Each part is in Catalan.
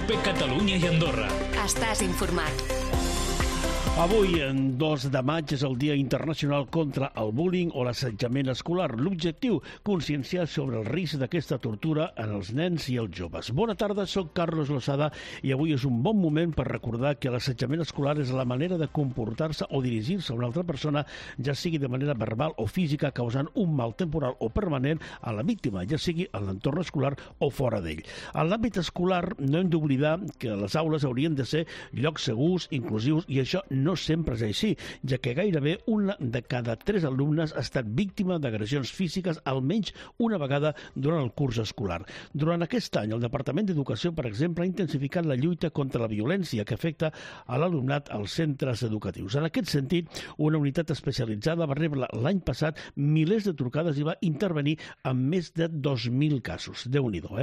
COPE Catalunya i Andorra. Estàs informat. Avui, en 2 de maig, és el Dia Internacional contra el Bullying o l'assetjament escolar. L'objectiu, conscienciar sobre el risc d'aquesta tortura en els nens i els joves. Bona tarda, soc Carlos Lozada i avui és un bon moment per recordar que l'assetjament escolar és la manera de comportar-se o dirigir-se a una altra persona, ja sigui de manera verbal o física, causant un mal temporal o permanent a la víctima, ja sigui en l'entorn escolar o fora d'ell. En l'àmbit escolar no hem d'oblidar que les aules haurien de ser llocs segurs, inclusius, i això no sempre és així, ja que gairebé una de cada 3 alumnes ha estat víctima d'agressions físiques almenys una vegada durant el curs escolar. Durant aquest any, el Departament d'Educació, per exemple, ha intensificat la lluita contra la violència que afecta a l'alumnat als centres educatius. En aquest sentit, una unitat especialitzada va rebre l'any passat milers de trucades i va intervenir en més de 2.000 casos. Déu-n'hi-do,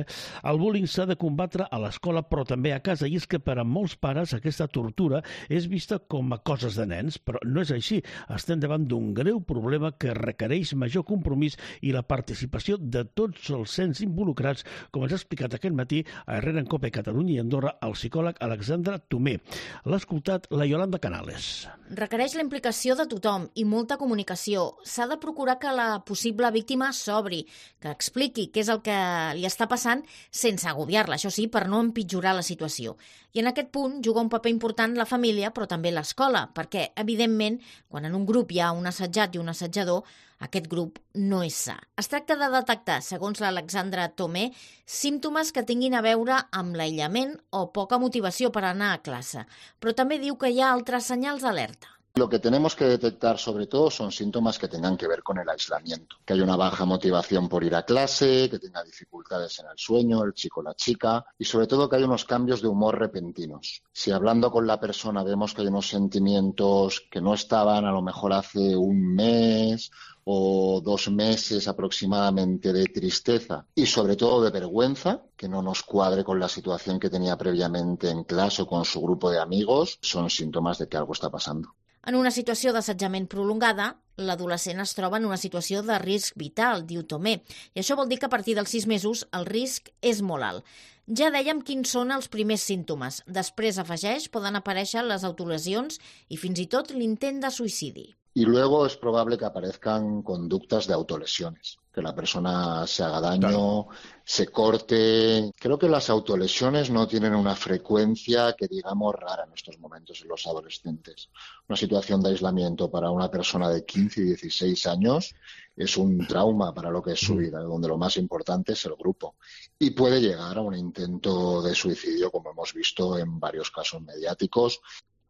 El bullying s'ha de combatre a l'escola, però també a casa, i és que per a molts pares aquesta tortura és vista com a coses de nens, però no és així. Estem davant d'un greu problema que requereix major compromís i la participació de tots els ens involucrats, com ens ha explicat aquest matí a Herrera en COPE Catalunya i Andorra el psicòleg Alexandre Tomé. L'ha escoltat la Yolanda Canales. Requereix la implicació de tothom i molta comunicació. S'ha de procurar que la possible víctima s'obri, que expliqui què és el que li està passant sense agobiar-la, això sí, per no empitjorar la situació. I en aquest punt juga un paper important la família, però també l'escola, perquè, evidentment, quan en un grup hi ha un assetjat i un assetjador, aquest grup no és sa. Es tracta de detectar, segons l'Alexandre Tomé, símptomes que tinguin a veure amb l'aïllament o poca motivació per anar a classe. Però també diu que hi ha altres senyals d'alerta. Lo que tenemos que detectar sobre todo son síntomas que tengan que ver con el aislamiento, que hay una baja motivación por ir a clase, que tenga dificultades en el sueño, el chico o la chica, y sobre todo que hay unos cambios de humor repentinos. Si hablando con la persona vemos que hay unos sentimientos que no estaban a lo mejor hace un mes o 2 meses aproximadamente de tristeza y sobre todo de vergüenza, que no nos cuadre con la situación que tenía previamente en clase o con su grupo de amigos, son síntomas de que algo está pasando. En una situació d'assetjament prolongada, l'adolescent es troba en una situació de risc vital, diu Tomé, i això vol dir que a partir dels 6 mesos el risc és molt alt. Ja dèiem quins són els primers símptomes. Després, afegeix, poden aparèixer les autolesions i fins i tot l'intent de suïcidi. Y luego es probable que aparezcan conductas de autolesiones, que la persona se haga daño, se corte. Creo que las autolesiones no tienen una frecuencia que digamos rara en estos momentos en los adolescentes. Una situación de aislamiento para una persona de 15 y 16 años es un trauma para lo que es su vida, donde lo más importante es el grupo. Y puede llegar a un intento de suicidio, como hemos visto en varios casos mediáticos.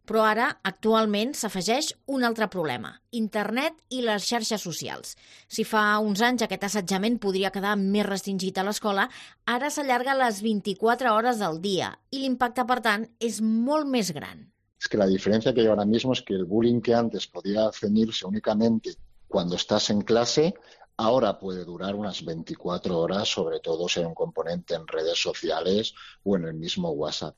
Però ara, actualment, s'afegeix un altre problema, internet i les xarxes socials. Si fa uns anys aquest assetjament podria quedar més restringit a l'escola, ara s'allarga a les 24 hores del dia i l'impacte, per tant, és molt més gran. Es que la diferencia que hay ahora mismo es que el bullying que antes podía ceñirse únicamente cuando estás en clase, ahora puede durar unas 24 horas, sobre todo si hay un componente en redes sociales o en el mismo WhatsApp.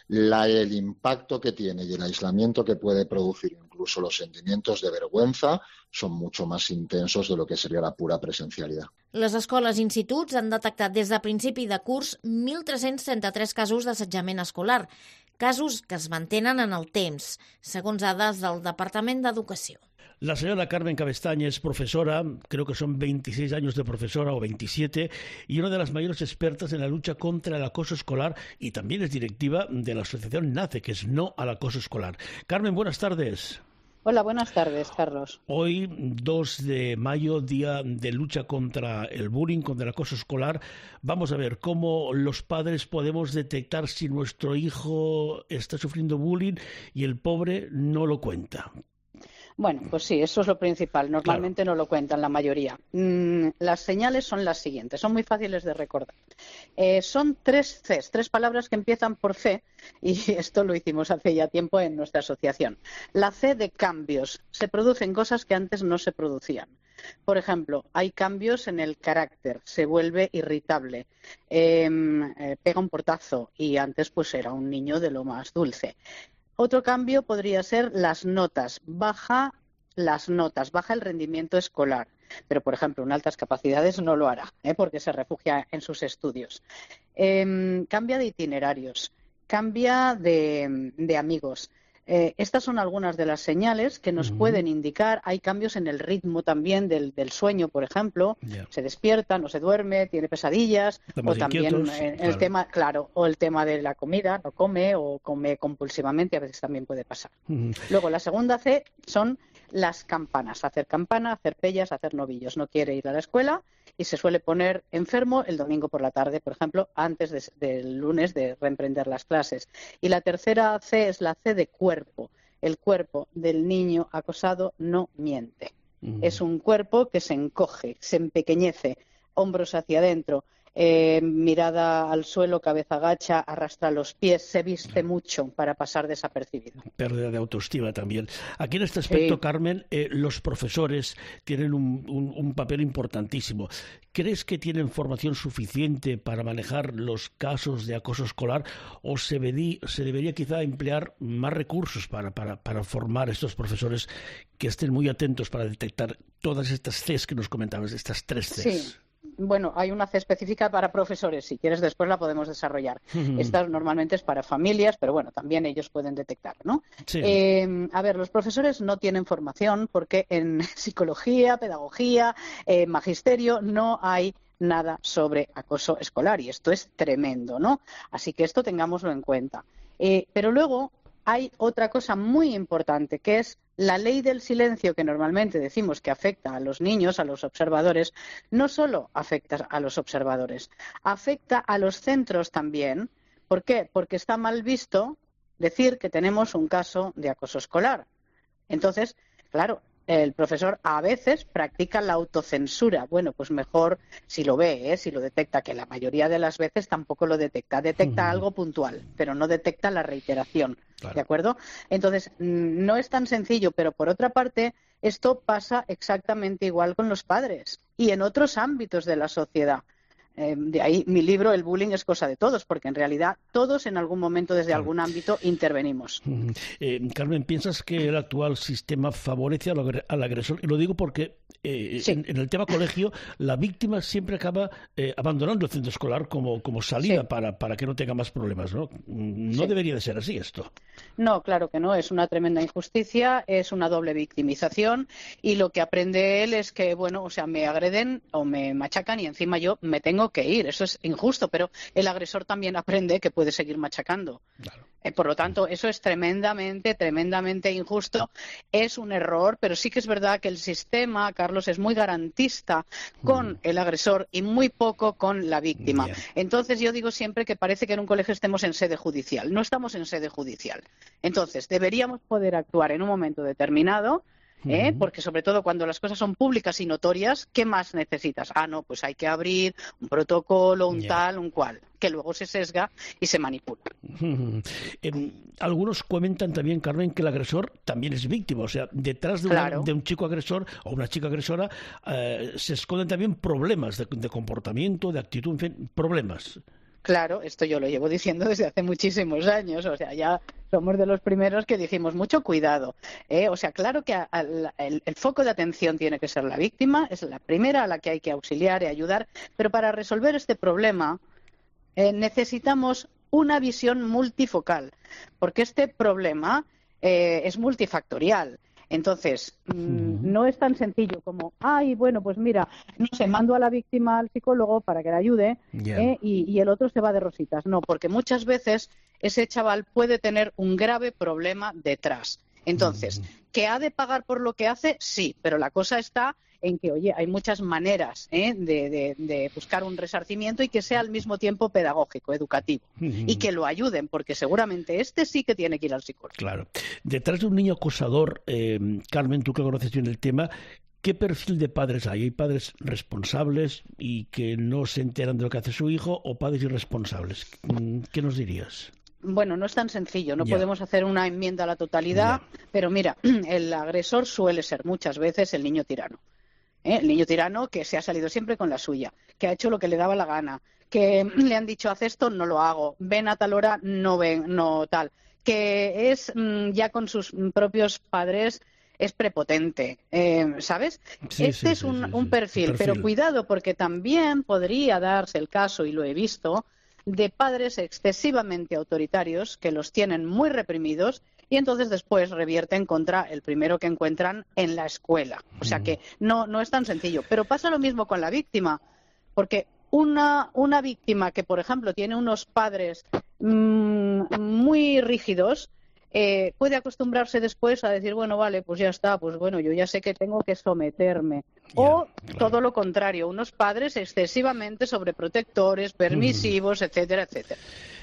El impacto que tiene y el aislamiento que puede producir, incluso los sentimientos de vergüenza, son mucho más intensos de lo que sería la pura presencialidad. Les escoles i instituts han detectat des de principi de curs 1.333 casos d'assetjament escolar, casos que es mantenen en el temps, segons dades del Departament d'Educació. La señora Carmen Cabestaña es profesora, creo que son 26 años de profesora o 27, y una de las mayores expertas en la lucha contra el acoso escolar y también es directiva de la asociación NACE, que es No al Acoso Escolar. Carmen, buenas tardes. Hola, buenas tardes, Carlos. Hoy, 2 de mayo, Día de Lucha contra el Bullying, contra el acoso escolar. Vamos a ver cómo los padres podemos detectar si nuestro hijo está sufriendo bullying y el pobre no lo cuenta. Bueno, pues sí, eso es lo principal. Normalmente no lo cuentan la mayoría. Las señales son las siguientes, son muy fáciles de recordar. Son 3 Cs, 3 palabras que empiezan por C, y esto lo hicimos hace ya tiempo en nuestra asociación. La C de cambios. Se producen cosas que antes no se producían. Por ejemplo, hay cambios en el carácter, se vuelve irritable, pega un portazo y antes pues era un niño de lo más dulce. Otro cambio podría ser las notas. Baja el rendimiento escolar. Pero, por ejemplo, en altas capacidades no lo hará, porque se refugia en sus estudios. Cambia de itinerarios. cambia de amigos. Estas son algunas de las señales que nos pueden indicar. Hay cambios en el ritmo también del sueño, por ejemplo. Se despierta, no se duerme, tiene pesadillas. O también el tema, claro, o el tema de la comida, no come o come compulsivamente, a veces también puede pasar. Luego, la segunda C son las campanas. Hacer campana, hacer pellas, hacer novillos. No quiere ir a la escuela y se suele poner enfermo el domingo por la tarde, por ejemplo, antes del lunes de reemprender las clases. Y la tercera C es la C de cuerpo. El cuerpo del niño acosado no miente. Es un cuerpo que se encoge, se empequeñece, hombros hacia adentro, mirada al suelo, cabeza gacha, arrastra los pies, se viste mucho para pasar desapercibido. Pérdida de autoestima también. Aquí en este aspecto, Carmen, los profesores tienen un papel importantísimo. ¿Crees que tienen formación suficiente para manejar los casos de acoso escolar o se debería quizá emplear más recursos para formar a estos profesores que estén muy atentos para detectar todas estas Cs que nos comentabas, estas 3 Cs? Sí. Bueno, hay una C específica para profesores, si quieres después la podemos desarrollar. Esta normalmente es para familias, pero bueno, también ellos pueden detectar, ¿no? Sí. A ver, los profesores no tienen formación porque en psicología, pedagogía, magisterio no hay nada sobre acoso escolar y esto es tremendo, ¿no? Así que esto tengámoslo en cuenta. Pero luego hay otra cosa muy importante que es la ley del silencio, que normalmente decimos que afecta a los niños, a los observadores. No solo afecta a los observadores, afecta a los centros también. ¿Por qué? Porque está mal visto decir que tenemos un caso de acoso escolar. Entonces, claro, el profesor a veces practica la autocensura. Bueno, pues mejor si lo ve, si lo detecta, que la mayoría de las veces tampoco lo detecta. Detecta algo puntual, pero no detecta la reiteración. Claro. ¿De acuerdo? Entonces, no es tan sencillo, pero por otra parte, esto pasa exactamente igual con los padres y en otros ámbitos de la sociedad. De ahí mi libro, El bullying es cosa de todos, porque en realidad todos en algún momento desde algún ámbito intervenimos. Carmen, ¿piensas que el actual sistema favorece al agresor? Y lo digo porque en el tema colegio la víctima siempre acaba abandonando el centro escolar como salida para que no tenga más problemas, ¿no? No debería de ser así esto. No, claro que no. Es una tremenda injusticia, es una doble victimización y lo que aprende él es que, bueno, o sea, me agreden o me machacan y encima yo me tengo que ir. Eso es injusto, pero el agresor también aprende que puede seguir machacando. Claro. Por lo tanto, eso es tremendamente injusto. Es un error, pero sí que es verdad que el sistema, Carlos, es muy garantista con el agresor y muy poco con la víctima. Entonces, yo digo siempre que parece que en un colegio estemos en sede judicial. No estamos en sede judicial. Entonces, deberíamos poder actuar en un momento determinado, porque sobre todo cuando las cosas son públicas y notorias, ¿qué más necesitas? No, pues hay que abrir un protocolo, un tal, un cual, que luego se sesga y se manipula. Algunos comentan también, Carmen, que el agresor también es víctima, o sea, detrás de un chico agresor o una chica agresora se esconden también problemas de comportamiento, de actitud, en fin, problemas. Claro, esto yo lo llevo diciendo desde hace muchísimos años, o sea, ya somos de los primeros que dijimos mucho cuidado. O sea, claro que el foco de atención tiene que ser la víctima, es la primera a la que hay que auxiliar y ayudar, pero para resolver este problema necesitamos una visión multifocal, porque este problema es multifactorial. Entonces, no es tan sencillo como, bueno, pues mira, no sé, mando a la víctima al psicólogo para que la ayude y el otro se va de rositas. No, porque muchas veces ese chaval puede tener un grave problema detrás. Entonces, ¿que ha de pagar por lo que hace? Sí, pero la cosa está en que, oye, hay muchas maneras de buscar un resarcimiento y que sea al mismo tiempo pedagógico, educativo, y que lo ayuden, porque seguramente sí que tiene que ir al psicólogo. Claro. Detrás de un niño acosador, Carmen, tú que conoces bien el tema, ¿qué perfil de padres hay? ¿Hay padres responsables y que no se enteran de lo que hace su hijo o padres irresponsables? ¿Qué nos dirías? Bueno, no es tan sencillo, no podemos hacer una enmienda a la totalidad, pero mira, el agresor suele ser muchas veces el niño tirano. El niño tirano que se ha salido siempre con la suya, que ha hecho lo que le daba la gana, que le han dicho haz esto, no lo hago, ven a tal hora, no ven, no tal, que es ya con sus propios padres es prepotente, ¿sabes? Este es un perfil, pero cuidado porque también podría darse el caso, y lo he visto, de padres excesivamente autoritarios que los tienen muy reprimidos y entonces después revierten contra el primero que encuentran en la escuela. O sea que no es tan sencillo. Pero pasa lo mismo con la víctima, porque una víctima que, por ejemplo, tiene unos padres muy rígidos, puede acostumbrarse después a decir, bueno, vale, pues ya está, pues bueno, yo ya sé que tengo que someterme. O todo lo contrario, unos padres excesivamente sobreprotectores, permisivos, etcétera, etcétera.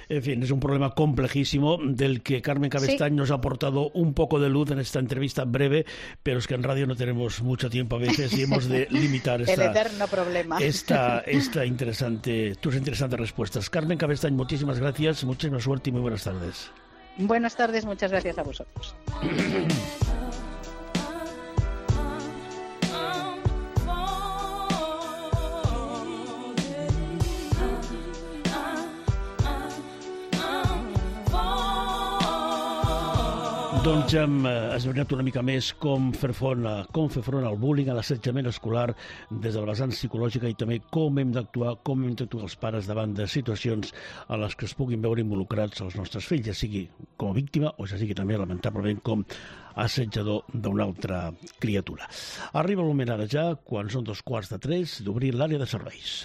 En fin, es un problema complejísimo del que Carmen Cabestany nos ha aportado un poco de luz en esta entrevista breve, pero es que en radio no tenemos mucho tiempo a veces y hemos de limitar el eterno problema. tus interesantes respuestas. Carmen Cabestany, muchísimas gracias, muchísima suerte y muy buenas tardes. Buenas tardes, muchas gracias a vosotros. Doncs hem esbrinat una mica més com fer front al bullying, a l'assetjament escolar des de la vessant psicològica i també com hem d'actuar els pares davant de situacions en les que es puguin veure involucrats els nostres fills, ja sigui com a víctima o ja sigui també, lamentablement, com assetjador d'una altra criatura. Arriba el moment ara ja, quan són 2:15, d'obrir l'àrea de serveis.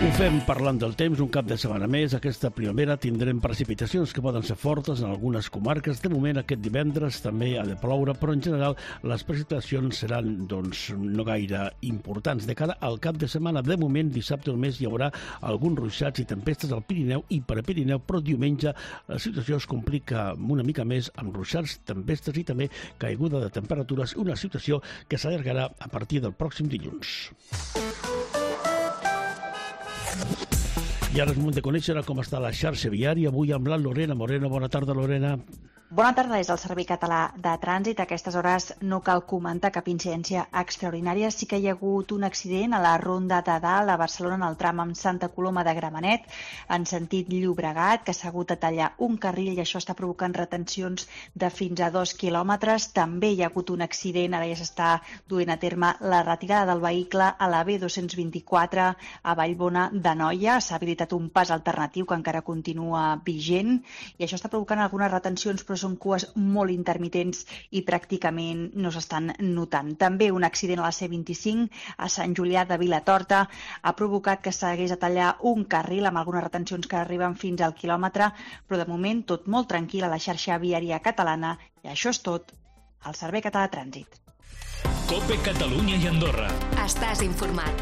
Ho fem parlant del temps, un cap de setmana més. Aquesta primavera tindrem precipitacions que poden ser fortes en algunes comarques. De moment, aquest divendres també ha de ploure, però en general les precipitacions seran no gaire importants. De cara al cap de setmana, de moment, dissabte només hi haurà alguns ruixats i tempestes al Pirineu i Prepirineu, però diumenge la situació es complica una mica més amb ruixats, tempestes i també caiguda de temperatures, una situació que s'allargarà a partir del pròxim dilluns. I ara és moment de conèixer com està la xarxa viària. Avui amb la Lorena Moreno. Bona tarda, Lorena. Bona tarda, des del Servei Català de Trànsit. A aquestes hores no cal comentar cap incidència extraordinària. Sí que hi ha hagut un accident a la Ronda de Dalt, a Barcelona, en el tram amb Santa Coloma de Gramenet, en sentit Llobregat, que s'ha hagut de tallar un carril i això està provocant retencions de fins a 2 quilòmetres. També hi ha hagut un accident, ara ja s'està duent a terme la retirada del vehicle a la B224 a Vallbona d'Anoia. S'ha habilitat un pas alternatiu que encara continua vigent i això està provocant algunes retencions, però són cues molt intermitents i pràcticament no s'estan notant. També un accident a la C25 a Sant Julià de Vilatorta ha provocat que s'hagués de tallar un carril amb algunes retencions que arriben fins al quilòmetre, però de moment tot molt tranquil a la xarxa viària catalana i això és tot al Servei Català de Trànsit. COPE Catalunya i Andorra. Estàs informat.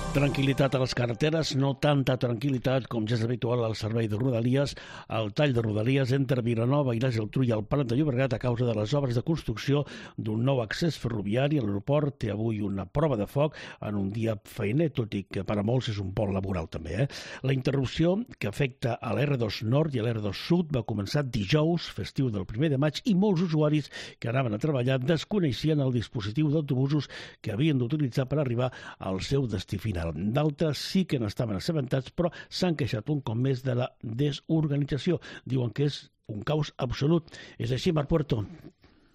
Tranquil·litat a les carreteres, no tanta tranquil·litat com ja és habitual al servei de Rodalies, al tall de Rodalies entre Vilanova i la Geltrú i el Prat de Llobregat a causa de les obres de construcció d'un nou accés ferroviari. L'aeroport té avui una prova de foc en un dia feiner, tot i que per a molts és un pont laboral també. La interrupció que afecta a l'R2 Nord i a l'R2 Sud va començar dijous, festiu del 1 de maig, i molts usuaris que anaven a treballar desconeixien el dispositiu d'autobusos que havien d'utilitzar per arribar al seu destí final. D'altres sí que n'estaven assabentats, però s'han queixat un cop més de la desorganització. Diuen que és un caos absolut. És així, Marc Puerto?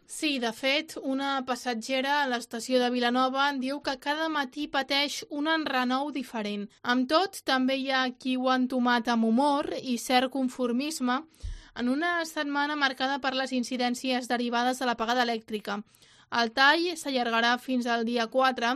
Sí, de fet, una passatgera a l'estació de Vilanova diu que cada matí pateix un enrenou diferent. Amb tot, també hi ha qui ho ha entomat amb humor i cert conformisme en una setmana marcada per les incidències derivades de l'apagada elèctrica. El tall s'allargarà fins al dia 4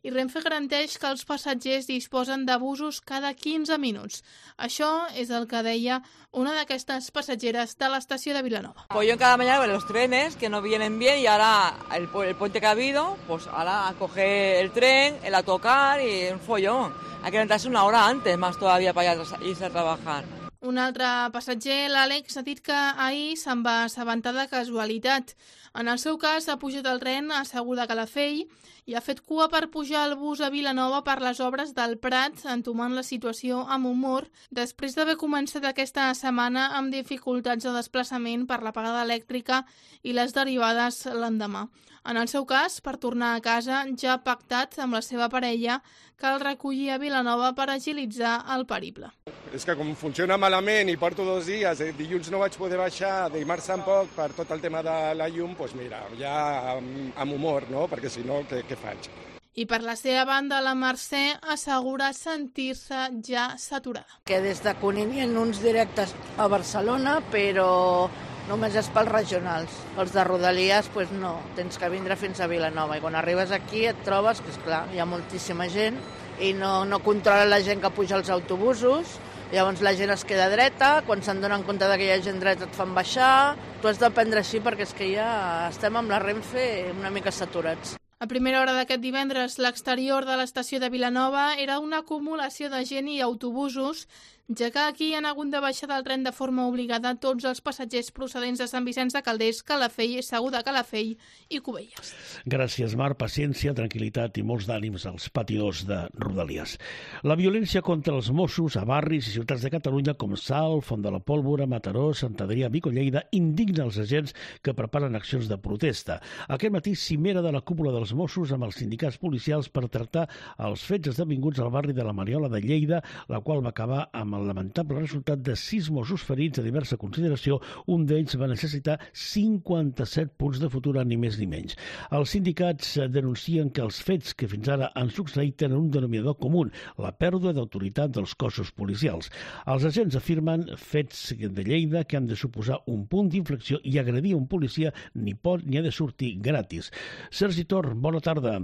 i Renfe garanteix que els passatgers disposen de busos cada 15 minuts. Això és el que deia una d'aquestes passatgeres de l'estació de Vilanova. Follón cada mañana con los trenes que no vienen bien y ahora el puente que ha habido, pues ahora a coger el tren, el autocar y un follón. Hay que levantarse una hora antes más todavía para irse a trabajar. Un altre passatger, l'Àlex, ha dit que ahir se'n va assabentar de casualitat. En el seu cas, ha pujat al tren assegut a Calafell i ha fet cua per pujar al bus a Vilanova per les obres del Prat, entomant la situació amb humor, després d'haver començat aquesta setmana amb dificultats de desplaçament per l'apagada elèctrica i les derivades l'endemà. En el seu cas, per tornar a casa, ja ha pactat amb la seva parella que el recollia a Vilanova per agilitzar el periple. És que com funciona malament i porto 2 dies, dilluns no vaig poder baixar, dimarts tampoc, per tot el tema de la llum, doncs mira, ja amb humor, no? Perquè si no, què faig? I per la seva banda, la Mercè assegura sentir-se ja saturada. Que des de Cunit hi ha uns directes a Barcelona, però només és pels regionals. Els de Rodalies, doncs no, tens que vindre fins a Vilanova. I quan arribes aquí et trobes que, esclar, hi ha moltíssima gent i no controla la gent que puja als autobusos. Llavors la gent es queda dreta, quan se'n donen compte que hi ha gent dreta et fan baixar. Tu has de prendre així perquè és que ja estem amb la Renfe una mica saturats. A primera hora d'aquest divendres, l'exterior de l'estació de Vilanova era una acumulació de gent i autobusos, ja que aquí han hagut de baixar del tren de forma obligada tots els passatgers procedents de Sant Vicenç de Calders, Calafell, Segur de Calafell i Cubelles. Gràcies, Mar. Paciència, tranquil·litat i molts d'ànims als patidors de Rodalies. La violència contra els Mossos a barris i ciutats de Catalunya com Salt, Font de la Pólvora, Mataró, Sant Adrià, Vic o Lleida indigna els agents que preparen accions de protesta. Aquest matí, cimera de la cúpula dels Mossos amb els sindicats policials per tractar els fets esdevinguts al barri de la Mariola de Lleida, la qual va acabar amb el lamentable resultat de 6 Mossos ferits a diversa consideració. Un d'ells va necessitar 57 punts de futura, ni més ni menys. Els sindicats denuncien que els fets que fins ara han succeït tenen un denominador comú, la pèrdua d'autoritat dels cossos policials. Els agents afirmen fets de Lleida que han de suposar un punt d'inflexió i agredir un policia ni pot ni ha de sortir gratis. Sergi Tor, bona tarda.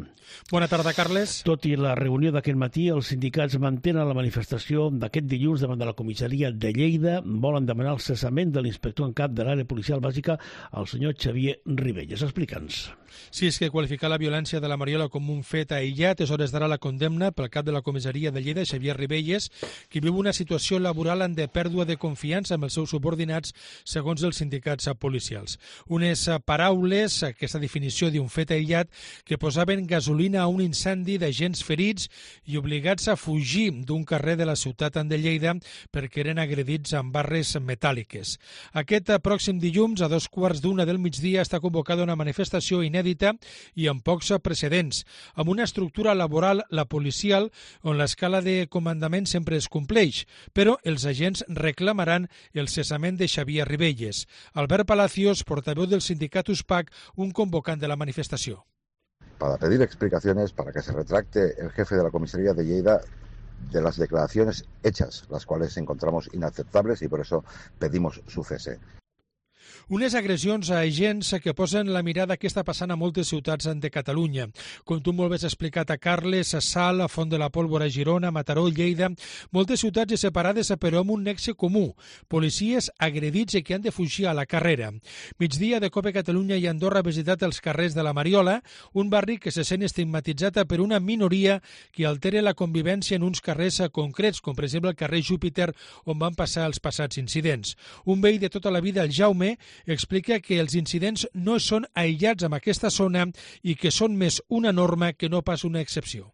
Bona tarda, Carles. Tot i la reunió d'aquest matí, els sindicats mantenen la manifestació d'aquest dilluns davant de la comissaria de Lleida. Volen demanar el cessament de l'inspector en cap de l'àrea policial bàsica, el senyor Xavier Ribelles. Explica'ns. Sí, és que qualificar la violència de la Mariola com un fet aïllat és hores d'ara la condemna pel cap de la comissaria de Lleida, Xavier Ribelles, qui viu una situació laboral de pèrdua de confiança amb els seus subordinats, segons els sindicats policials. Unes paraules, aquesta definició d'un fet aïllat, que posaven gasolina a un incendi d'agents ferits i obligats a fugir d'un carrer de la ciutat de Lleida perquè eren agredits amb barres metàl·liques. Aquest pròxim dilluns, a 2:15 del migdia, està convocada una manifestació inèdita i amb pocs precedents, amb una estructura laboral, la policial, on l'escala de comandament sempre es compleix, però els agents reclamaran el cessament de Xavier Ribelles. Albert Palacios, portaveu del sindicat USPAC, un convocant de la manifestació. Para pedir explicaciones, para que se retracte el jefe de la comisaría de Lleida de las declaraciones hechas, las cuales encontramos inaceptables y por eso pedimos su cese. Unes agressions a agents que posen la mirada que està passant a moltes ciutats de Catalunya. Com tu molt bé has explicat a Carles, a Salt, a Font de la Pólvora, Girona, Mataró, Lleida, moltes ciutats separades però amb un nexe comú, policies agredits i que han de fugir a la carrera. Migdia de Cope Catalunya i Andorra ha visitat els carrers de la Mariola, un barri que se sent estigmatitzat per una minoria que altera la convivència en uns carrers concrets, com per exemple el carrer Júpiter, on van passar els passats incidents. Un veí de tota la vida, el Jaume, explica que els incidents no són aïllats en aquesta zona i que són més una norma que no pas una excepció.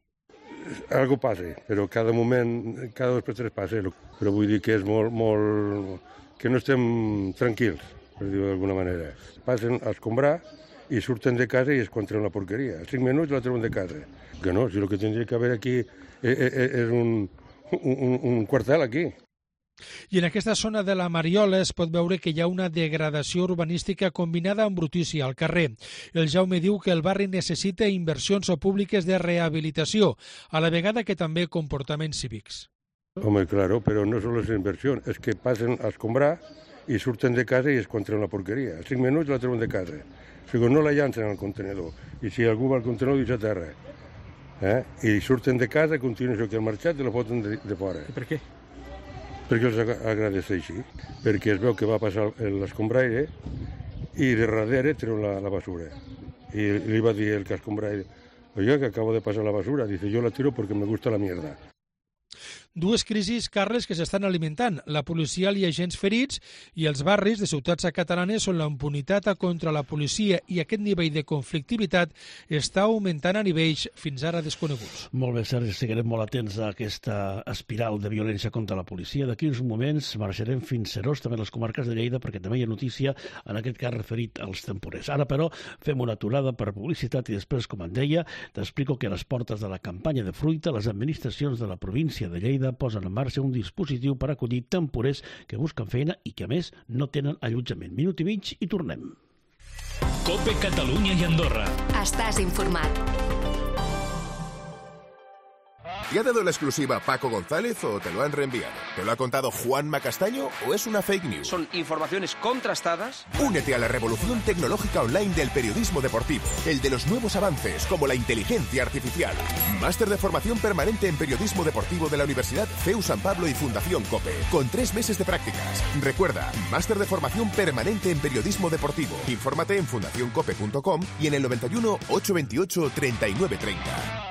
Algo passa, però cada moment, cada 2 per 3 passa, però vull dir que és molt... que no estem tranquils, per dir-ho d'alguna manera. Passen a escombrar i surten de casa i es contra una porqueria. A 5 minuts la treuen de casa. Que no, si el que tindria que haver aquí és un quartel aquí. I en aquesta zona de la Mariola es pot veure que hi ha una degradació urbanística combinada amb brutícia al carrer. El Jaume diu que el barri necessita inversions públiques de rehabilitació, a la vegada que també comportaments cívics. Home, claro, però no són les inversions, és que passen a escombrar i surten de casa i es contra una porqueria. A 5 minuts la treuen de casa. O sigui, no la llancen al contenedor. I si algú va al contenedor, deixa a terra. I surten de casa, continuen això que han marxat i la foten de fora. I per què? Perquè els agradeix així, perquè es veu que va passar l'escombraire i de darrere treu la basura. I li va dir el que escombraire, oiga, que acabo de pasar la basura. Dice, yo la tiro porque me gusta la mierda. Dues crisis, Carles, que s'estan alimentant, la policial i agents ferits, i els barris de ciutats catalanes on la impunitat contra la policia i aquest nivell de conflictivitat està augmentant a nivells fins ara desconeguts. Molt bé, Sergi, seguirem molt atents a aquesta espiral de violència contra la policia. D'aquí uns moments marxarem fins Serós, també a les comarques de Lleida, perquè també hi ha notícia, en aquest cas referit als temporers. Ara, però, fem una aturada per publicitat i després, com en deia, t'explico que a les portes de la campanya de fruita, les administracions de la província de Lleida posen en marxa un dispositiu per acollir temporers que busquen feina i que, a més, no tenen allotjament. Minut i mig i tornem. COPE Catalunya i Andorra. Estàs informat. ¿Te ha dado la exclusiva Paco González o te lo han reenviado? ¿Te lo ha contado Juanma Castaño o es una fake news? Son informaciones contrastadas. Únete a la revolución tecnológica online del periodismo deportivo, el de los nuevos avances como la inteligencia artificial. Máster de formación permanente en periodismo deportivo de la Universidad CEU San Pablo y Fundación COPE, con 3 meses de prácticas. Recuerda, máster de formación permanente en periodismo deportivo. Infórmate en fundacioncope.com y en el 91 828 3930.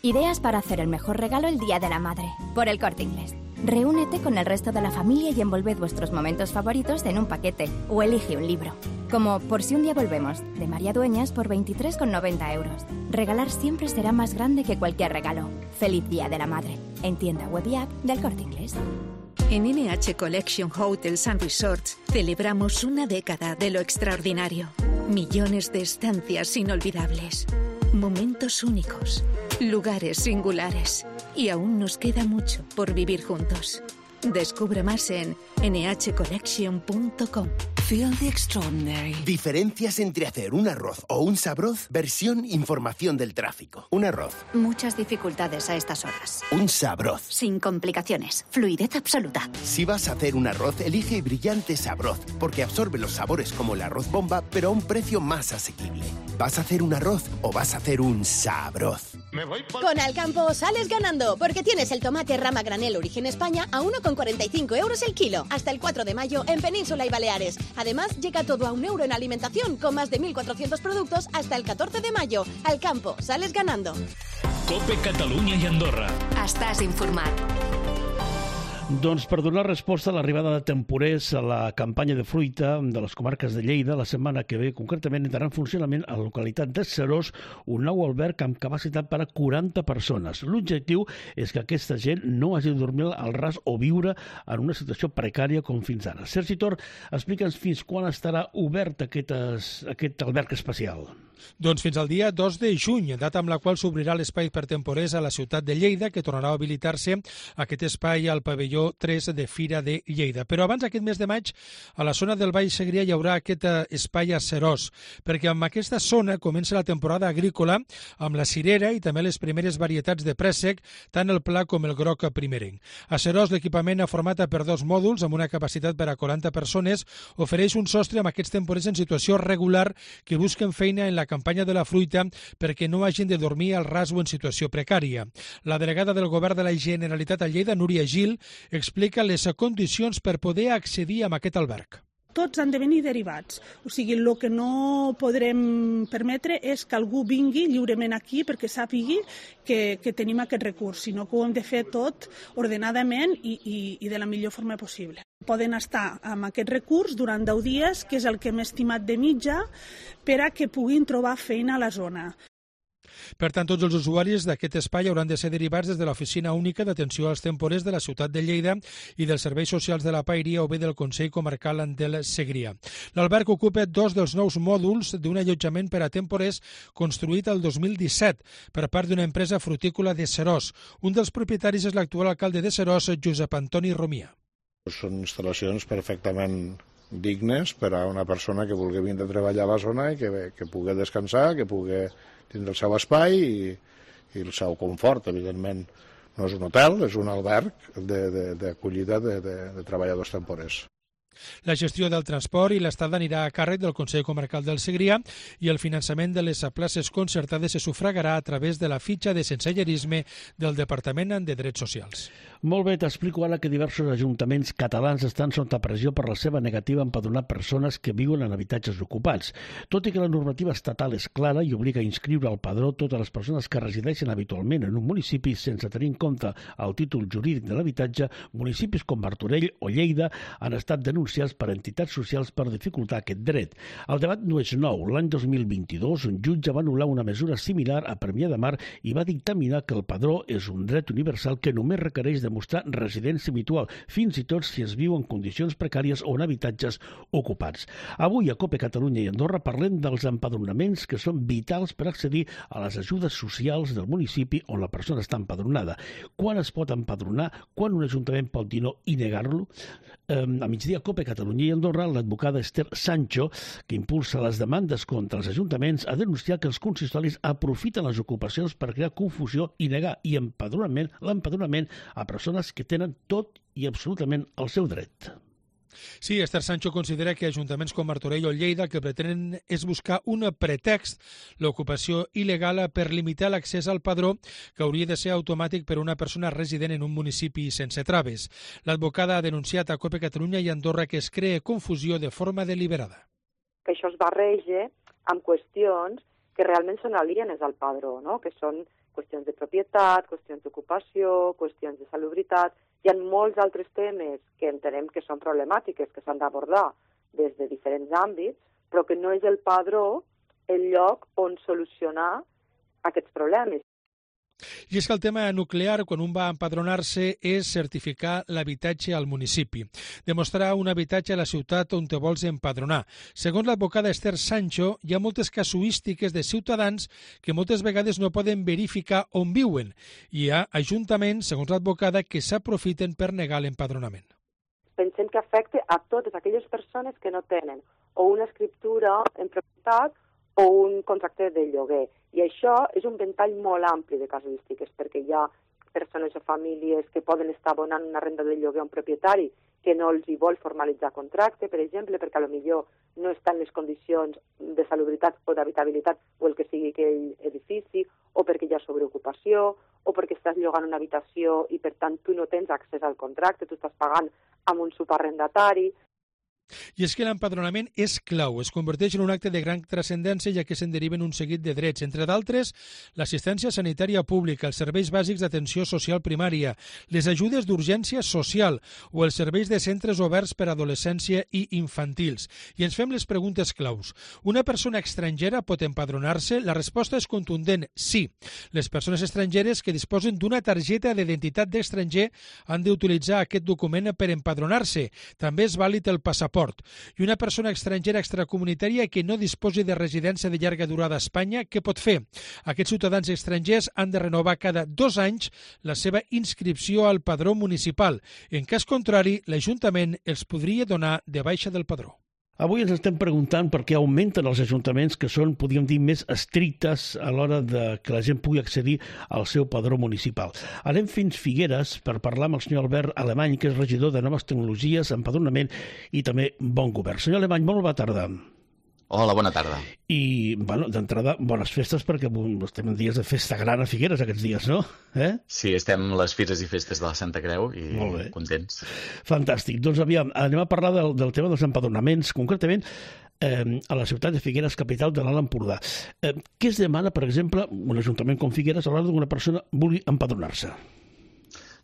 Ideas para hacer el mejor regalo el Día de la Madre, por El Corte Inglés. Reúnete con el resto de la familia y envolved vuestros momentos favoritos en un paquete o elige un libro. Como Por si un día volvemos, de María Dueñas por 23,90 euros. Regalar siempre será más grande que cualquier regalo. Feliz Día de la Madre. En tienda web y app del Corte Inglés. En NH Collection Hotels and Resorts celebramos una década de lo extraordinario. Millones de estancias inolvidables. Momentos únicos. Lugares singulares. Y aún nos queda mucho por vivir juntos. Descubre más en nhcollection.com. Feel the extraordinary. Diferencias entre hacer un arroz o un sabroz, versión información del tráfico. Un arroz. Muchas dificultades a estas horas. Un sabroz. Sin complicaciones. Fluidez absoluta. Si vas a hacer un arroz, elige Brillante Sabroz, porque absorbe los sabores como el arroz bomba, pero a un precio más asequible. ¿Vas a hacer un arroz o vas a hacer un sabroz? Con Alcampo sales ganando, porque tienes el tomate rama granel Origen España a 1,45 euros el kilo. Hasta el 4 de mayo en Península y Baleares. Además, llega todo a €1 en alimentación, con más de 1.400 productos hasta el 14 de mayo. Alcampo, sales ganando. COPE Catalunya i Andorra. Estàs informat. Doncs per donar resposta a l'arribada de temporers a la campanya de fruita de les comarques de Lleida, la setmana que ve, concretament, entrarà en funcionament a la localitat de Seròs un nou alberg amb capacitat per a 40 persones. L'objectiu és que aquesta gent no hagi de dormir al ras o viure en una situació precària com fins ara. Sergi Tor, explica'ns fins quan estarà obert aquest alberg especial. Doncs fins al dia 2 de juny, data amb la qual s'obrirà l'espai per temporers a la ciutat de Lleida, que tornarà a habilitar-se aquest espai al pavelló 3 de Fira de Lleida. Però abans, aquest mes de maig, a la zona del Baix Segrià hi haurà aquest espai a Seròs, perquè amb aquesta zona comença la temporada agrícola amb la cirera i també les primeres varietats de préssec, tant el pla com el groc primerenc. A Seròs, l'equipament format per 2 mòduls amb una capacitat per a 40 persones ofereix un sostre amb aquests temporers en situació regular que busquen feina en la campanya de la fruita perquè no hagin de dormir al ras o en situació precària. La delegada del Govern de la Generalitat a Lleida, Núria Gil, explica les condicions per poder accedir a aquest alberg. Tots han de venir derivats. O sigui, el que no podrem permetre és que algú vingui lliurement aquí perquè sàpigui que tenim aquest recurs, sinó que ho hem de fer tot ordenadament i de la millor forma possible. Poden estar amb aquest recurs durant 10 dies, que és el que hem estimat de mitja, per a que puguin trobar feina a la zona. Per tant, tots els usuaris d'aquest espai hauran de ser derivats des de l'Oficina Única d'Atenció als Temporers de la ciutat de Lleida i dels Serveis Socials de la Paeria o bé del Consell Comarcal del Segrià. L'alberg ocupa 2 dels nous mòduls d'un allotjament per a temporers construït el 2017 per part d'una empresa frutícola de Seròs. Un dels propietaris és l'actual alcalde de Seròs, Josep Antoni Romia. Són instal·lacions perfectament dignes per a una persona que vulgui vindre a treballar a la zona i que pugui descansar, que pugui tindre el seu espai i el seu confort. Evidentment, no és un hotel, és un alberg d'acollida de treballadors temporers. La gestió del transport i l'estada anirà a càrrec del Consell Comarcal del Segrià i el finançament de les places concertades se sufragarà a través de la fitxa de sensellarisme del Departament de Drets Socials. Molt bé, t'explico ara que diversos ajuntaments catalans estan sota pressió per la seva negativa a empadronar persones que viuen en habitatges ocupats. Tot i que la normativa estatal és clara i obliga a inscriure al padró totes les persones que resideixen habitualment en un municipi sense tenir en compte el títol jurídic de l'habitatge, municipis com Martorell o Lleida han estat denunciats per entitats socials per dificultar aquest dret. El debat no és nou. L'any 2022, un jutge va anul·lar una mesura similar a Premià de Mar i va dictaminar que el padró és un dret universal que només requereix demostrar residència habitual, fins i tot si es viu en condicions precàries o en habitatges ocupats. Avui a COPE Catalunya i Andorra parlem dels empadronaments que són vitals per accedir a les ajudes socials del municipi on la persona està empadronada. Quan es pot empadronar? Quan un ajuntament pot dir no i negar-lo? A migdia COPE COPE Catalunya i Andorra, l'advocada Esther Sancho, que impulsa les demandes contra els ajuntaments, ha denunciat que els consistoris aprofiten les ocupacions per crear confusió i negar l'empadronament a persones que tenen tot i absolutament el seu dret. Sí, Esther Sancho considera que ajuntaments com Martorell o Lleida el que pretenen és buscar un pretext, l'ocupació il·legal, per limitar l'accés al padró, que hauria de ser automàtic per a una persona resident en un municipi sense traves. L'advocada ha denunciat a COPE Catalunya i Andorra que es crea confusió de forma deliberada. Que això es barreja amb qüestions que realment són alienes al padró, no? Que són qüestions de propietat, qüestions d'ocupació, qüestions de salubritat. Hi ha molts altres temes que entenem que són problemàtiques, que s'han d'abordar des de diferents àmbits, però que no és el padró el lloc on solucionar aquests problemes. I és que el tema nuclear, quan un va empadronar-se, és certificar l'habitatge al municipi. Demostrar un habitatge a la ciutat on te vols empadronar. Segons l'advocada Esther Sancho, hi ha moltes casuístiques de ciutadans que moltes vegades no poden verificar on viuen. I hi ha ajuntaments, segons l'advocada, que s'aprofiten per negar l'empadronament. Pensem que afecta a totes aquelles persones que no tenen o una escriptura en propietat o un contracte de lloguer. I això és un ventall molt ampli de casuístiques, perquè hi ha persones o famílies que poden estar abonant una renda de lloguer a un propietari que no els hi vol formalitzar contracte, per exemple, perquè potser no està en les condicions de salubritat o d'habitabilitat o el que sigui aquell edifici, o perquè hi ha sobreocupació, o perquè estàs llogant una habitació i, per tant, tu no tens accés al contracte, tu estàs pagant amb un subarrendatari. I és que l'empadronament és clau, es converteix en un acte de gran transcendència ja que se'n deriven un seguit de drets, entre d'altres l'assistència sanitària pública, els serveis bàsics d'atenció social primària, les ajudes d'urgència social o els serveis de centres oberts per a adolescència i infantils. I ens fem les preguntes claus. Una persona estrangera pot empadronar-se? La resposta és contundent, sí. Les persones estrangeres que disposen d'una targeta d'identitat d'estranger han d'utilitzar aquest document per empadronar-se. També és vàlid el passaport. I una persona estrangera extracomunitària que no disposi de residència de llarga durada a Espanya, què pot fer? Aquests ciutadans estrangers han de renovar cada 2 anys la seva inscripció al padró municipal. En cas contrari, l'Ajuntament els podria donar de baixa del padró. Avui ens estem preguntant per què augmenten els ajuntaments que són, podríem dir, més estrictes a l'hora de que la gent pugui accedir al seu padró municipal. Anem fins Figueres per parlar amb el senyor Albert Alemany, que és regidor de Noves Tecnologies, Empadronament i també Bon Govern. Senyor Alemany, molt bona tarda. Hola, bona tarda. I, d'entrada, bones festes, perquè estem en dies de festa gran a Figueres aquests dies, no? Sí, estem les fires i festes de la Santa Creu i contents. Fantàstic. Doncs aviam, anem a parlar del tema dels empadronaments, concretament a la ciutat de Figueres, capital de l'Alt Empordà. Què es demana, per exemple, un ajuntament com Figueres a l'hora d'una persona vulgui empadronar-se?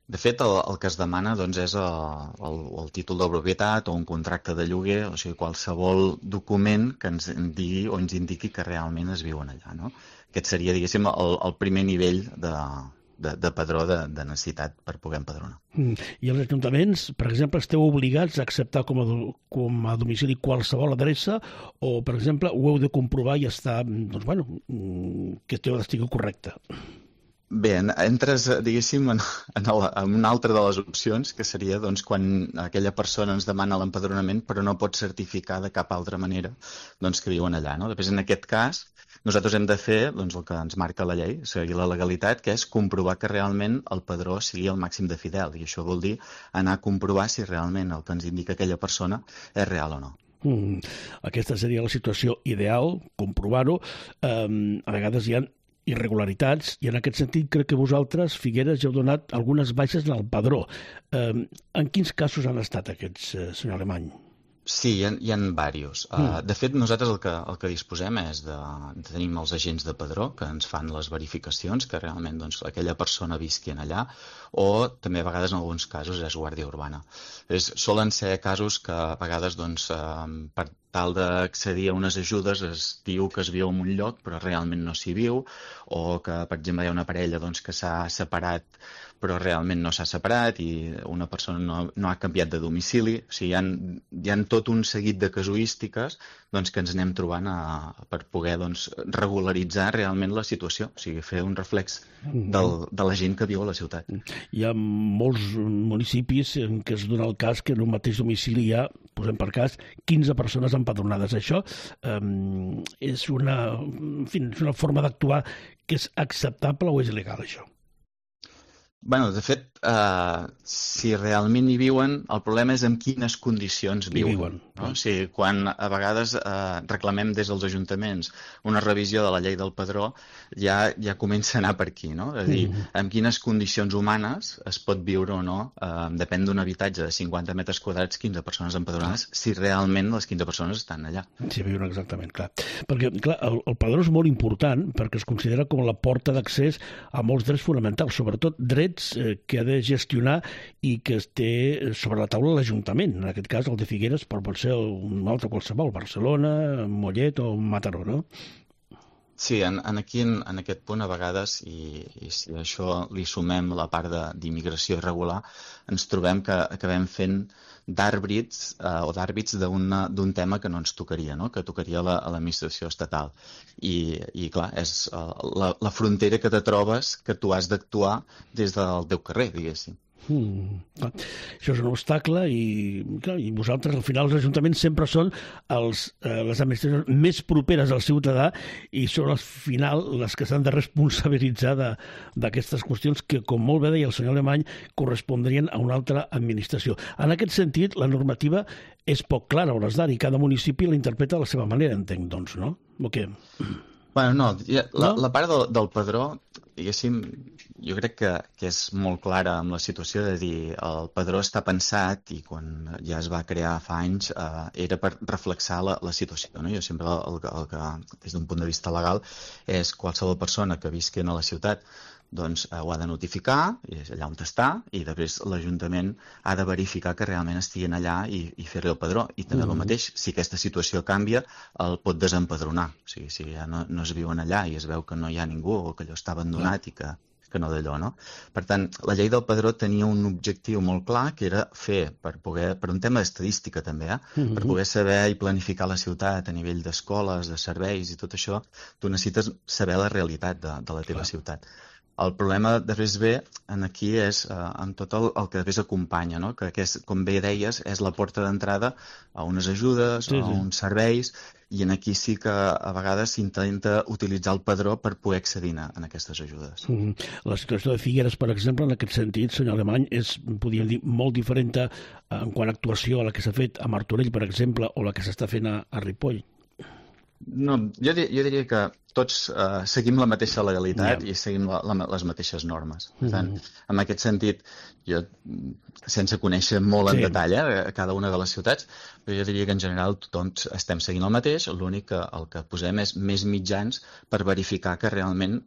De fet, el que es demana doncs, és el títol de propietat o un contracte de lloguer, o sigui, qualsevol document que ens digui o ens indiqui que realment es viuen allà. No? Aquest seria, diguéssim, el primer nivell de padró de necessitat per poder empadronar. I els ajuntaments, per exemple, esteu obligats a acceptar com a domicili qualsevol adreça o, per exemple, ho heu de comprovar i estar, que estigui correcte? Bé, entres, diguéssim, en una altra de les opcions, que seria doncs, quan aquella persona ens demana l'empadronament però no pot certificar de cap altra manera doncs, que viuen allà. No? Després, en aquest cas, nosaltres hem de fer doncs, el que ens marca la llei, seguir la legalitat, que és comprovar que realment el padró sigui el màxim de fidel. I això vol dir anar a comprovar si realment el que ens indica aquella persona és real o no. Aquesta seria la situació ideal, comprovar-ho. A vegades hi ha irregularitats, i en aquest sentit crec que vosaltres, Figueres, ja heu donat algunes baixes en el padró. En quins casos han estat aquests, senyor Alemany? Sí, hi ha diversos. De fet, nosaltres el que disposem és de tenir els agents de padró que ens fan les verificacions que realment doncs, aquella persona visqui allà, o també a vegades en alguns casos és guàrdia urbana. Solen ser casos que a vegades doncs, per tal d'accedir a unes ajudes es diu que es viu en un lloc però realment no s'hi viu, o que per exemple hi ha una parella doncs, que s'ha separat però realment no s'ha separat i una persona no ha canviat de domicili. O sigui, hi ha tot un seguit de casuístiques doncs, que ens anem trobant per poder doncs, regularitzar realment la situació, o sigui, fer un reflex de la gent que viu a la ciutat. Hi ha molts municipis en què es dona el cas que en un mateix domicili hi ha posem per cas, 15 persones empadronades. Això és una forma d'actuar que és acceptable o és il·legal, això? Bueno, de fet, si realment hi viuen, el problema és en quines condicions viuen. No? O sigui, quan a vegades reclamem des dels ajuntaments una revisió de la llei del padró, ja comença a anar per aquí, no? És a dir, en quines condicions humanes es pot viure o no, depèn d'un habitatge de 50 metres quadrats, 15 persones empadronades, si realment les 15 persones estan allà. Sí, viuen exactament, clar. Perquè, clar, el padró és molt important perquè es considera com la porta d'accés a molts drets fonamentals, sobretot drets que ha de gestionar i que es té sobre la taula l'Ajuntament. En aquest cas, el de Figueres, però pot ser un altre qualsevol, Barcelona, Mollet o Mataró, no? Sí, en aquest punt, a vegades, i si això li sumem la part d'immigració irregular, ens trobem que acabem fent d'àrbits d'un tema que no ens tocaria, no? Que tocaria a l'administració estatal. I clar, és la frontera que te trobes que tu has d'actuar des del teu carrer, diguéssim. Això és un obstacle i vosaltres, al final, els ajuntaments sempre són les administracions més properes al ciutadà i són al final les que s'han de responsabilitzar d'aquestes qüestions que, com molt bé deia el senyor Alemany, correspondrien a una altra administració. En aquest sentit, la normativa és poc clara a hores d'ara i cada municipi la interpreta de la seva manera, entenc, doncs, no? O què? Bueno, no, la part del padró, diguéssim, jo crec que és molt clara amb la situació de dir el padró està pensat i quan ja es va crear fa anys era per reflexar la situació, no? Jo sempre el que, des d'un punt de vista legal, és qualsevol persona que visqui a la ciutat doncs ho ha de notificar, és allà on està, i després l'Ajuntament ha de verificar que realment estiguin allà i fer-li el padró. I també el mateix, si aquesta situació canvia, el pot desempadronar. O sigui, si ja no es viuen allà i es veu que no hi ha ningú o que allò està abandonat i que no d'allò, no? Per tant, la llei del padró tenia un objectiu molt clar, que era fer, per un tema d'estadística també, per poder saber i planificar la ciutat a nivell d'escoles, de serveis i tot això, tu necessites saber la realitat de la teva ciutat. El problema després ve aquí és amb tot el que després acompanya, no? Que com bé deies, és la porta d'entrada a unes ajudes, a uns serveis, i aquí sí que a vegades s'intenta utilitzar el padró per poder accedir a aquestes ajudes. La situació de Figueres, per exemple, en aquest sentit, senyor Alemany, és, podríem dir, molt diferent en quant a actuació a la que s'ha fet a Martorell, per exemple, o la que s'està fent a Ripoll. No, jo diria que tots seguim la mateixa legalitat i seguim les mateixes normes. Per tant, en aquest sentit, jo, sense conèixer molt en detall cada una de les ciutats, però jo diria que en general tothom estem seguint el mateix, l'únic que el que posem és més mitjans per verificar que realment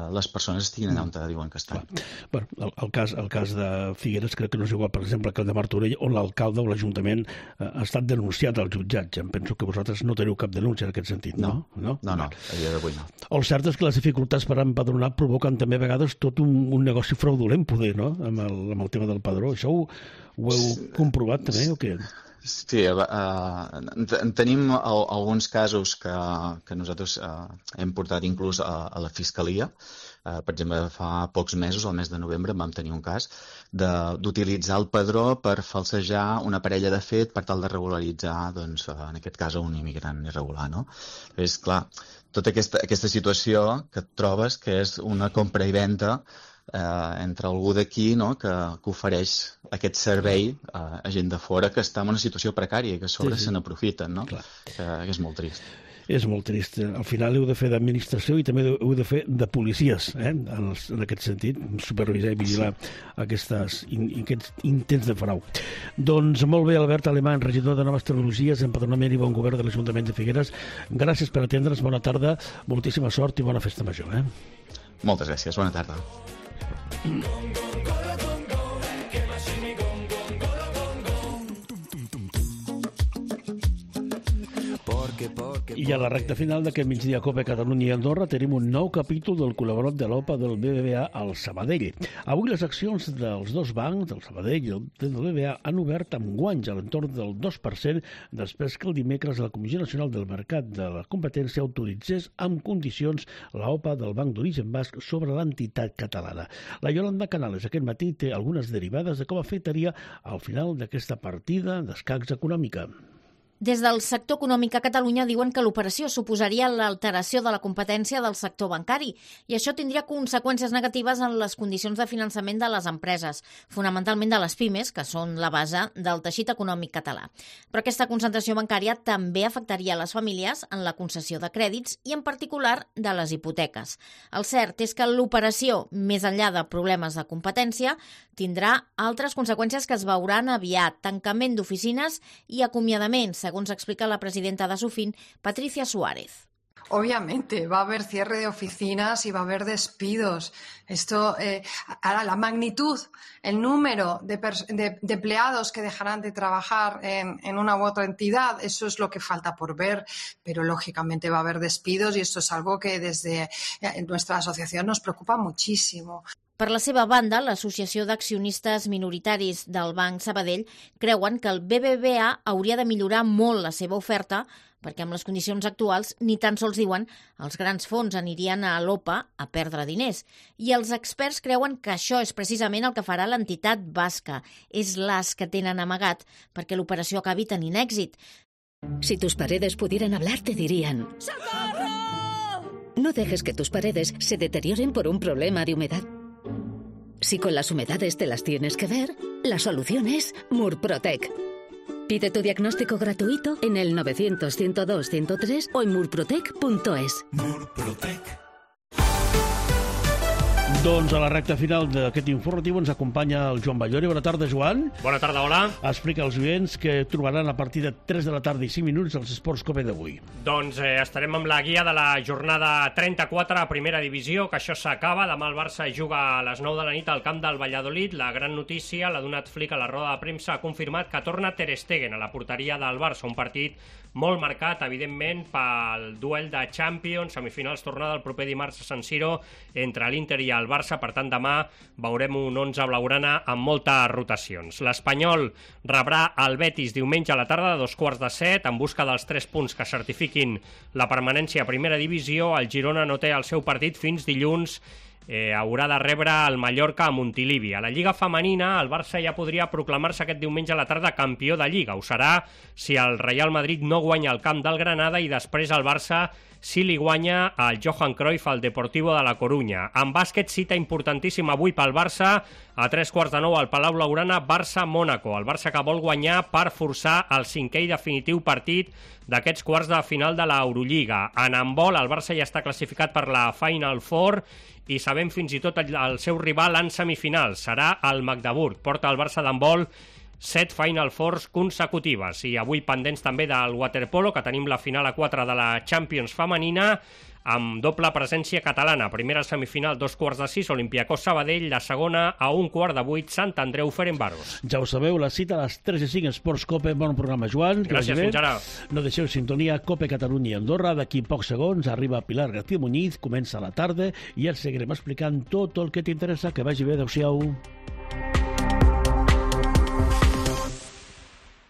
les persones estiguin allà on diuen que estan. El cas de Figueres crec que no és igual, per exemple, que el de Martorell, on l'alcalde o l'Ajuntament ha estat denunciat al jutjat. Em penso que vosaltres no teniu cap denúncia en aquest sentit, no? No, a dia d'avui no. El cert és que les dificultats per empadronar provoquen també a vegades tot un negoci fraudulent, poder, no?, amb el tema del padró. Això ho heu comprovat també o què? Sí, tenim alguns casos que nosaltres hem portat inclús a la Fiscalia. Per exemple, fa pocs mesos, al mes de novembre, vam tenir un cas d'utilitzar el padró per falsejar una parella de fet per tal de regularitzar, doncs, en aquest cas, un immigrant irregular, no? És clar, tota aquesta situació que et trobes, que és una compra i venda entre algú d'aquí, no?, que ofereix aquest servei a gent de fora que està en una situació precària i que a sobre se n'aprofiten, no? Que és molt trist. És molt trist. Al final heu de fer d'administració i també heu de fer de policies, en aquest sentit, supervisar i vigilar aquests intents de frau. Doncs molt bé, Albert Alemany, regidor de Noves Tecnologies, Empadronament i Bon Govern de l'Ajuntament de Figueres. Gràcies per atendre'ns, bona tarda, moltíssima sort i bona festa major. Moltes gràcies, bona tarda. I a la recta final d'aquest migdia Cope Catalunya i Andorra tenim un nou capítol del col·laborat de l'OPA del BBVA al Sabadell. Avui les accions dels dos bancs, del Sabadell i del BBVA, han obert amb guanys a l'entorn del 2% després que el dimecres la Comissió Nacional del Mercat de la Competència autoritzés amb condicions l'OPA del Banc d'Origen Basc sobre l'entitat catalana. La Yolanda Canales aquest matí té algunes derivades de com afectaria al final d'aquesta partida d'escacs econòmica. Des del sector econòmic a Catalunya diuen que l'operació suposaria l'alteració de la competència del sector bancari i això tindria conseqüències negatives en les condicions de finançament de les empreses, fonamentalment de les pimes, que són la base del teixit econòmic català. Però aquesta concentració bancària també afectaria les famílies en la concessió de crèdits i en particular de les hipoteques. El cert és que l'operació, més enllà de problemes de competència, tindrà altres conseqüències que es veuran aviat, tancament d'oficines i acomiadaments, según explica la presidenta de Sufin, Patricia Suárez. Obviamente, va a haber cierre de oficinas y va a haber despidos. Esto, ahora la magnitud, el número de empleados que dejarán de trabajar en una u otra entidad, eso es lo que falta por ver, pero lógicamente va a haber despidos y esto es algo que desde nuestra asociación nos preocupa muchísimo. Per la seva banda, l'Associació d'Accionistes Minoritaris del Banc Sabadell creuen que el BBVA hauria de millorar molt la seva oferta perquè amb les condicions actuals ni tan sols diuen els grans fons anirien a l'OPA a perdre diners. I els experts creuen que això és precisament el que farà l'entitat basca. És l'as que tenen amagat perquè l'operació acabi tenint èxit. Si tus paredes pudieran hablar, te dirían: ¡Socorro! No dejes que tus paredes se deterioren por un problema de humedad. Si con las humedades te las tienes que ver, la solución es Murprotec. Pide tu diagnóstico gratuito en el 900-102-103 o en murprotec.es. Murprotec. Doncs a la recta final d'aquest informatiu ens acompanya el Joan Ballori. Bona tarda, Joan. Bona tarda, hola. Explica als oients que trobaran a partir de 3 de la tarda i 5 minuts els Esports Cope d'avui. Doncs estarem amb la guia de la jornada 34 a primera divisió, que això s'acaba. Demà el Barça juga a les 9 de la nit al camp del Valladolid. La gran notícia l'ha donat Flick a la roda de premsa, ha confirmat que torna Ter Stegen a la porteria del Barça, un partit molt marcat, evidentment, pel duel de Champions, semifinals tornada el proper dimarts a San Siro entre l'Inter i el Barça. Per tant, demà veurem un 11 blaugrana amb moltes rotacions. L'Espanyol rebrà el Betis diumenge a la tarda de 6:45 en busca dels 3 punts que certifiquin la permanència a primera divisió. El Girona no té el seu partit fins dilluns. Haurà de rebre el Mallorca a Montilivi. A la Lliga Femenina, el Barça ja podria proclamar-se aquest diumenge a la tarda campió de Lliga. Ho serà si el Real Madrid no guanya el camp del Granada i després el Barça si li guanya el Johan Cruyff al Deportivo de la Corunya. En bàsquet, cita importantíssima avui pel Barça a 8:45 al Palau Blaugrana, Barça-Mònaco. El Barça que vol guanyar per forçar el 5è i definitiu partit d'aquests quarts de final de l'Eurolliga. En handbol, el Barça ja està classificat per la Final Four i sabem fins i tot el seu rival en semifinals. Serà el Magdeburg. Porta el Barça d'handbol 7 Final Fours consecutives. I avui pendents també del waterpolo, que tenim la final a 4 de la Champions femenina, amb doble presència catalana. Primera semifinal 6:15, Olympiacos Sabadell, la segona a 7:15, Sant Andreu Ferencváros. Ja ho sabeu, la cita a les 3:05, Esports Cope. Bon programa, Joan. Gràcies, fins ara. No deixeu sintonia Cope Catalunya i Andorra. D'aquí pocs segons arriba Pilar García Muñiz, comença la tarda i ja seguirem explicant tot el que t'interessa. Que vagi bé, adeu-siau.